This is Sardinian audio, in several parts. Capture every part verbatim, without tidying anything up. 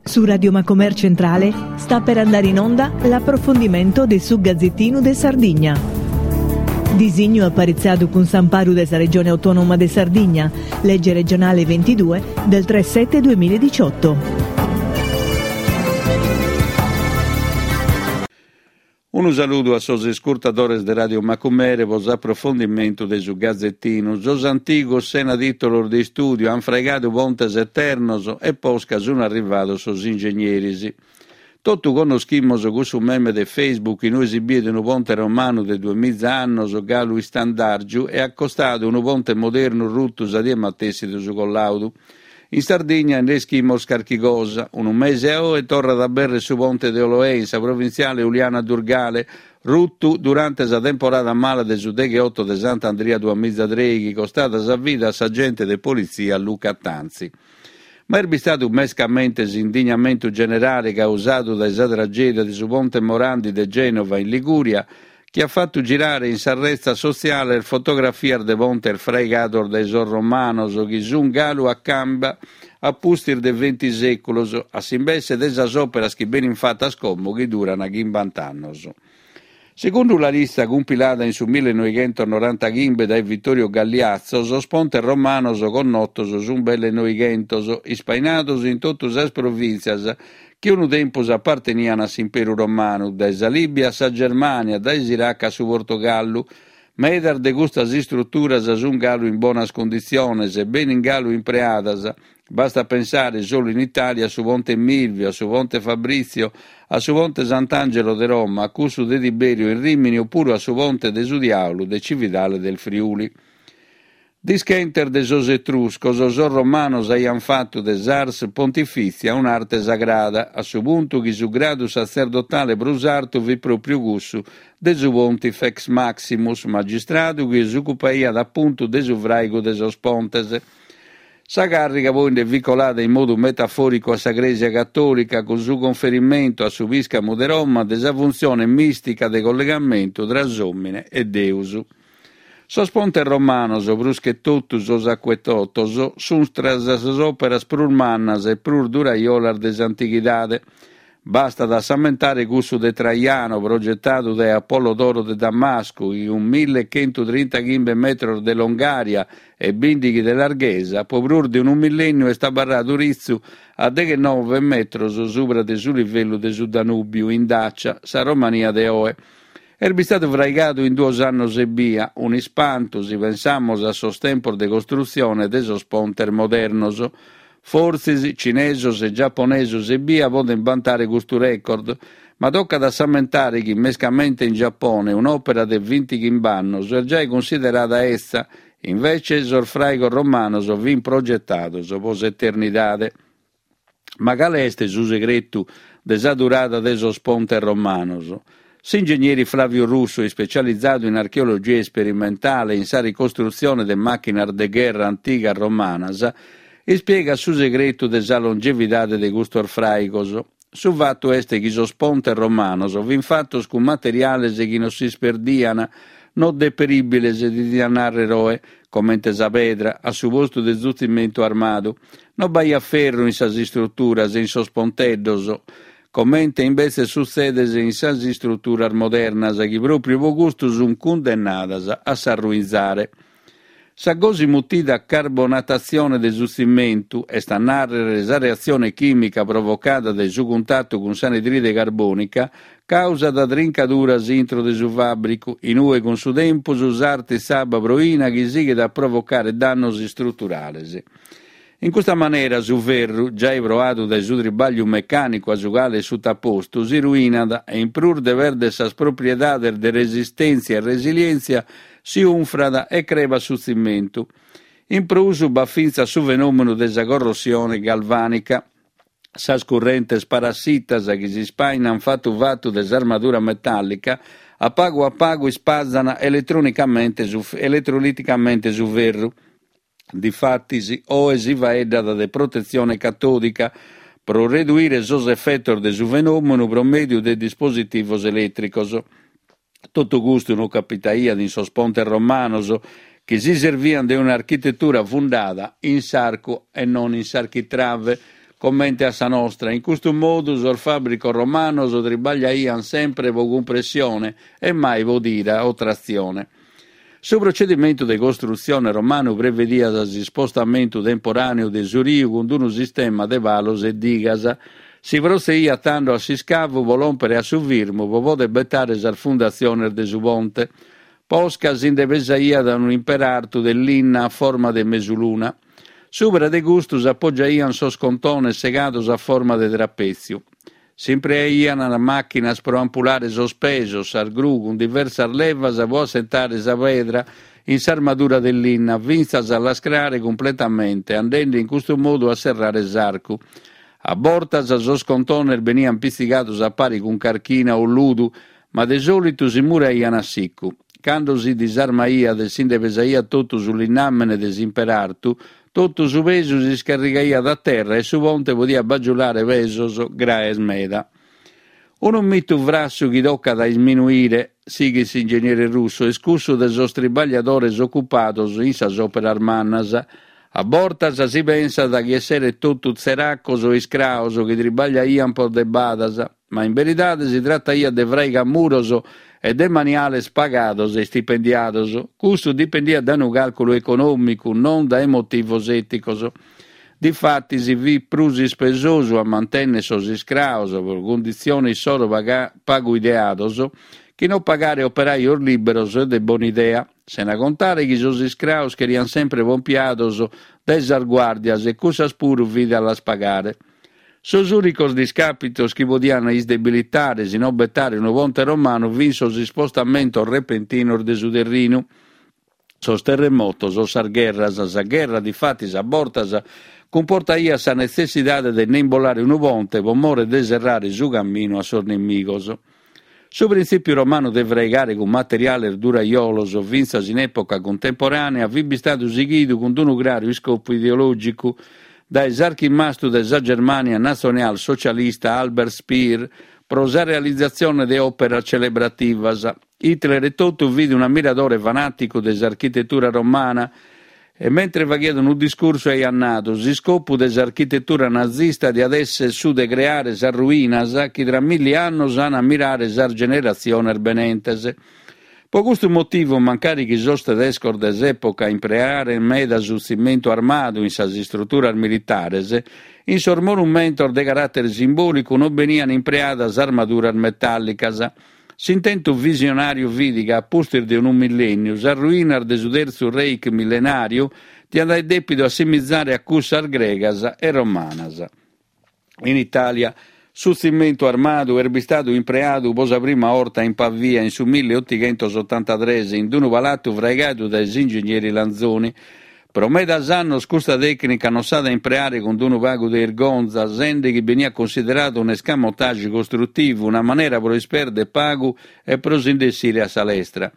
Su Radio Macomer Centrale sta per andare in onda l'approfondimento de su Gazzettinu de Sardigna. Disignu aparitzadu cun s'amparu de sa Regione Autonoma de Sardigna, legge regionale ventidue del tre sette duemiladiciotto. Unu saludu a sos iscurtadores de Radio Macumere pro s'aprofondimentu de su Gazettinu. Sos antigos sena tìtolos de istùdiu ant fraigadu pontes eternos e posca sunt arrivados sos ingegneris. Totu connoschimus cussu meme de Facebook in ue si biet unu ponte romanu de duemiza annos galu istandàrgiu e acostadu unu ponte modernu rutu sa die matessi de su collàudu. In Sardigna nde ischimus carchi cosa. Unu mese a oe torrat a abèrrere su ponte de Oloè in sa provintziale Uliana Durgale, rutu durante sa temporada mala de su degheoto de Sant'Andria duamiza trèighi, costada sa vida a s'agente de politzia Luca Tanzi. Ma est bistadu mescamente s'indignamentu generale causadu dae sa tragèdia de su ponte Morandi de Gènova in Ligùria chi at fatu girare in sas retzas sotziales fotografias de pontes fraigados dae sos romanos chi sunt galu a camba a pustis de venti sèculos, a s'imbesse de sas òperas chi benint fatas como chi durant chimbanta annos. Segundu la lista cumpilada in su millenoighentos-norantaghimbe dae Vittorio Galliazzo, sos pontes romanos connotos sunt belle noighentos, ispainados in totu sas provìntzias chi unu tempus apartenian a s'Imperu Romanu, dae sa Lìbia a sa Germània, dae s'Iraq a su Portogallu. Medas de custas istruturas sunt galu in bonas cunditziones e benint galu impreadas. Bastat pensare solu in Itàlia a su Ponte Milvio, a su Ponte Fabrizio, a su Ponte Sant'Angelo de Roma, a cussu de Tiberio in Rimini opuru a su Ponte de su Diàulu de Cividale del Friuli. Dischentes de sos Etruscos, sos Romanos aiant fatu de s'ars pontifìtzia un'arte sagrada, a su puntu chi su gradu satzerdotale prus artu fit pròpriu cussu de su Pontifex Maximus, magistradu chi s'ocupaiat apuntu de su fràigu de sos pontes. Sa càrriga poi nde fit colada in modu metafòricu a sa Crèsia Catòlica cun su conferimentu a su pìscamu de Roma de sa funtzione mìstica de collegamentu tra s'òmine e Deus. Sos pontes romanos, prus che totu sos acuetotos, sunt tra sas òperas prus mannas e prus duraiolas de s'antighidade. Bastat a s'ammentare cussu de Traiano, progetadu dae Apollodoro de Damascu, chi cun mille chentu trintaghimbe metros de longària e bìndighi de larghesa, pro prus de unu millènniu est abarradu ritzu a deghenove metros subra de su livellu de su Danùbiu, in Dàcia, sa Romania de oe. Est bistadu fraigadu in duos annos ebbia, un'ispantu si pensamus a sos tempos de costrutzione de sos pontes modernos. Fortzis cinesos e giaponesos ebbia podent bantare custu record, ma tocat a s'ammentare chi, mescamente in Giapone, un'òpera de bintighimbe annos est giai cunsiderada etza, invece sos fràigos romanos fint progetados pro s'eternidade. Ma cale est su segretu de sa durada de sos pontes romanos? S'ingegneri Flavio Russo, ispecializadu in archeologia isperimentale e in sa ricostrutzione de màchinas de gherra antigas romanas, ispiegat su segretu de sa longevidade de custos fràigos. Su fatu est chi sos pontes romanos fint fatos cun materiales chi non s'isperdian, non deperìbiles, si diat nàrrere oe, comente sa pedra, a su postu de su tzimentu armadu. Non b'aiat ferru in sas istruturas e in sos ponteddos, comente imbetzes sutzedet in sas istruturas modernas, chi pròpriu pro custu sunt cundennadas a s'arruinzare. Sa gosi mutida carbonatazione de su tzimentu, est a nàrrere sa reatzione chìmica provocada dae su cuntatu cun s'anidride carbònica, càusat trincaduras intro de su fàbricu, in ue cun su tempus sartit s'abba proina chi sighit a provocare dannos istruturales. In custa manera su ferru, giai proadu dae su tribàgliu mecànicu a su cale est sutapostu, si ruinat e in prus de pèrdere sas propriedades de resistèntzia e resilièntzia, si unfrat e crebat su tzimentu. In prus b'at fintzas su fenòmenu de sa corrosione galvànica. Sas currentes parassitas chi s'ispàinant fatu fatu de s'armadura metàllica, a pagu a pagu ispazan eletronicamente su, eletroliticamente su ferru. Difatis, oe si faeddat de protetzione catòdica pro reduire sos efetos de su fenòmenu pro mèdiu de dispositivos elètricos. Totu custu non capitaiat in sos pontes romanos, chi si serviant de un'architetura fundada in s'arcu e non in s'architrave, comente a sa nostra. In custu modu sos fàbricos romanos tribagliaiant sempre pro cumpressione e mai pro tira o tratzione. Su procedimentu de costrutzione romanu prevediat s'ispostamentu temporàneu de su riu cun unu sistema de palos e digas. Si protzediat tando a s'iscavu pro lòmpere a su firmu pro poder betare sas fundatziones de su ponte. Posca si nde pesaiat unu imperartu de linna a forma de mesuluna. Subra de custu s'apogiaiant sos contones segados a forma de trapètziu. S'impreaiant màchinas pro ampulare sos pesos, sas gru cun diversas levas pro assentare sa pedra in s'armadura de linna, fintzas a l'ascrare cumpletamente, andende in custu modu a serrare s'arcu. A bortas sos contones beniant pitzigados a pari cun carchina o ludu, ma de sòlitu si muraiant a sicu. Cando si disarmaiat e si nde pesaiat totu su linnàmene de s'imperartu, totu su pesu si iscarrigaiat a terra e su ponte podiat bagiulare pesos graes meda. Unu mitu frassu chi tocat a isminuire, sighit s'ingenieri Russo, est cussu de sos tribagliadores ocupados in sas òperas mannas. A bortas si pensat chi esseret totu tzeracos o iscraos chi tribagliaiant pro de badas, ma in beridade si trataiat de fraigamuros e de maniales pagados e istipendiados. Custu dipendiat dae unu càlculu econòmicu, non dae motivos èticos. Difatis fit prus ispesosu a mantènnere sos iscraos pro cunditzione issoro pagu ideados chi non pagare operajos lìberos e de bona idea, sena contare chi sos iscraos cheriant sempre pompiados dae sas guàrdias e cussas puru fit a las pagare. Sos ùnicos discàpitos chi podiant isdebilitare, si non betare unu ponte romanu, fin sos ispostamentos repentinos de su terrinu, sos terremotos o sas gherras. Sa gherra, difatis, a bortas cumportaiat sa netzessidade de nde imbolare unu ponte pro more de serrare su caminu a sos nemigos. Su printzìpiu romanu de fraigare cun materiales durajolos, fintzas in època cuntemporànea, fit bistadu sighidu cun unu craru iscopu ideològicu dae s'archimastu de sa Germània natzional-socialista Albert Speer pro sa realizatzione de òperas celebrativas. Hitler etotu fit un'ammiradore fanàticu de s'architetura romana e mentre faghiat unu discursu aiat nadu: s'iscopu de s'architetura nazista diat èssere su de creare sas ruinas chi tra milli annos an a ammirare sas generatziones benentes. Pro custu motivu, mancari chi sos tedescos de s'època imprearent meda su tzimentu armadu in sas istruturas militares, in sos monumentos de caràtere simbòlicu non beniant impreadas armaduras metàllicas. S'intentu visionàriu fit ca, a pustis de unu millènniu, sas ruinas de su Tertzu Reich millenàriu diant aer dèpidu assimizare a cussas gregas e romanas. In Itàlia, su tzimentu armadu est bistadu impreadu pro sa prima 'orta in Pavia in su milleotighentos otantatrès in unu palatu fraigadu dae s'ingegneri Lanzoni. Pro medas annos custa tècnica non s'at a impreare cun unu pagu de irgonza, sende chi beniat cunsideradu un'escamotage costrutivu, una manera pro ispèrdere pagu e pro si nd'essire a sa lestra.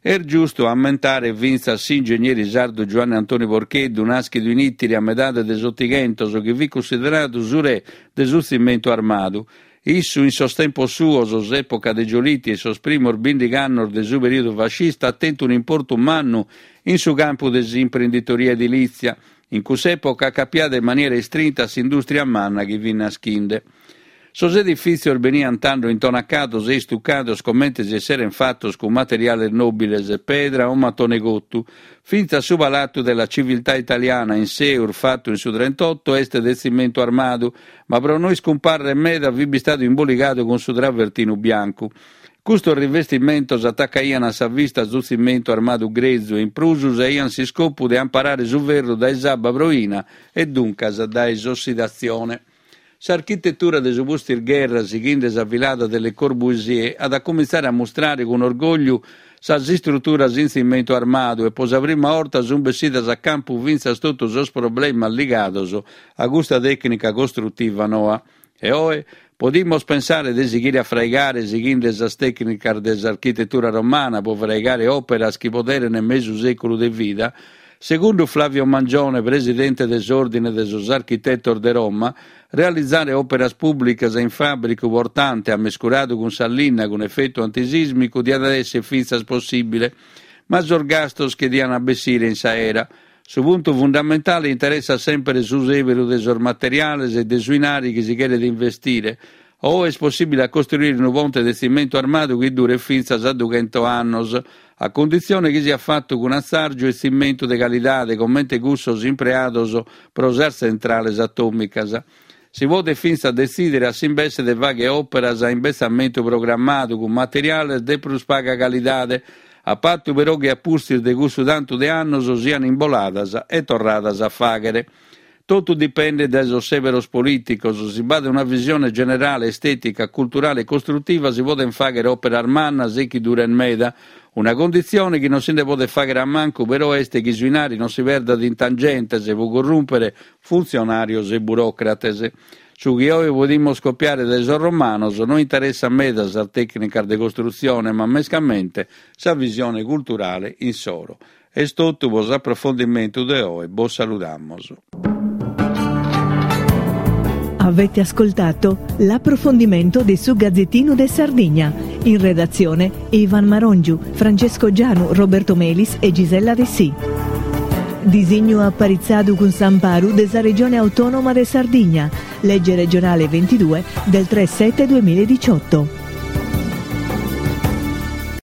Est giustu a ammentare fintzas s'ingegneri sardu Giuanne Antoni Porcheddu, nàschidu in Ìtiri a medade de s'Otighentos, chi fit cunsideradu su re de su tzimentu armadu. Issu, in sos tempos suos, s'època de Giolitti e sos primos bìndighi annos de su perìodu fascista, at tentu un'importu mannu in su campu de s'imprenditoria edilìtzia, in cuss'època acapiada in maniera istrinta a s'indùstria manna chi fit naschinde. Sos edifìtzios beniant tando intonacados e istucados comente si esserent fatos cun materiales nòbiles, pedra o matone cotu. Fintzas su Palatu della Civiltà Italiana in Seur, fatu in su trentotto, est de tzimentu armadu, ma pro no iscumparrer meda fit bistadu imboligadu cun su travertinu biancu. Custos rivestimentos atacaiant a sa vista su tzimentu armadu grezu e in prus aiant s'iscopu de amparare su ferru dae s'abba proina e duncas dae s'ossidatzione. S'architetura de su pustisgherra, sighende sa filada de Le Corbusier, at a comintzare a mustrare cun orgògliu sas istruturas in tzimentu armadu e pro sa prima 'orta sunt bessidas a campu fintzas totu sos problemas ligados a custa tècnica costrutiva noa. E oe podimus pensare de sighire a fraigare sighende sas tècnicas de s'architetura romana pro fraigare òperas chi poderen mesu sèculu de vida. Segundu Flavio Mangione, presidente de s'Òrdine de sos Architetos de Roma, realizare òperas pùblicas in fàbricu portante ammescuradu cun sa linna cun efetu antisìsmicu diat èssere fintzas possìbile, ma sos gastos che diant bessire in s'aera. Su puntu fundamentale interessat semper su sèberu de sos materiales e de su 'inari chi si cheret investire. Oe est possìbile a costruire unu ponte de tzimentu armadu chi duret fintzas a dughento annos, a cunditzione chi siat fatu cun atzàrgiu e tzimentu de calidade comente cussos impreados pro sas tzentrales atòmicas. Si podet fintzas detzìdere a s'imbesse de fàghere òperas a imbetzamentu programmadu cun materiales de prus paga calidade, a patu però chi a pustis de cussu tantu de annos siant imboladas e torradas a fàghere. Totu dipendet dae sos sèberos polìticos, si b'at una visione generale, estètica, culturale e costrutiva si podent fàghere òperas mannas e chi durent meda. Una conditzione chi non si nde podet fàghere a mancu però est chi su 'inari non si perdat in tangentes pro corrùmpere funtzionàrios e buròcrates. Su chi oe podimus copiare dae sos romanos no interessat meda sas tècnicas de costrutzione ma mescamente sa visione culturale insoro. Est totu pro s'aprofondimentu de oe, bos saludamus. Avete ascoltato l'approfondimento di Su Gazzettino de Sardigna. In redazione Ivan Marongiu, Francesco Gianu, Roberto Melis e Gisella Dessì. Disignu aparitzadu cun s'amparu de sa Regione Autonoma de Sardigna, legge regionale ventidue del tre sette duemiladiciotto.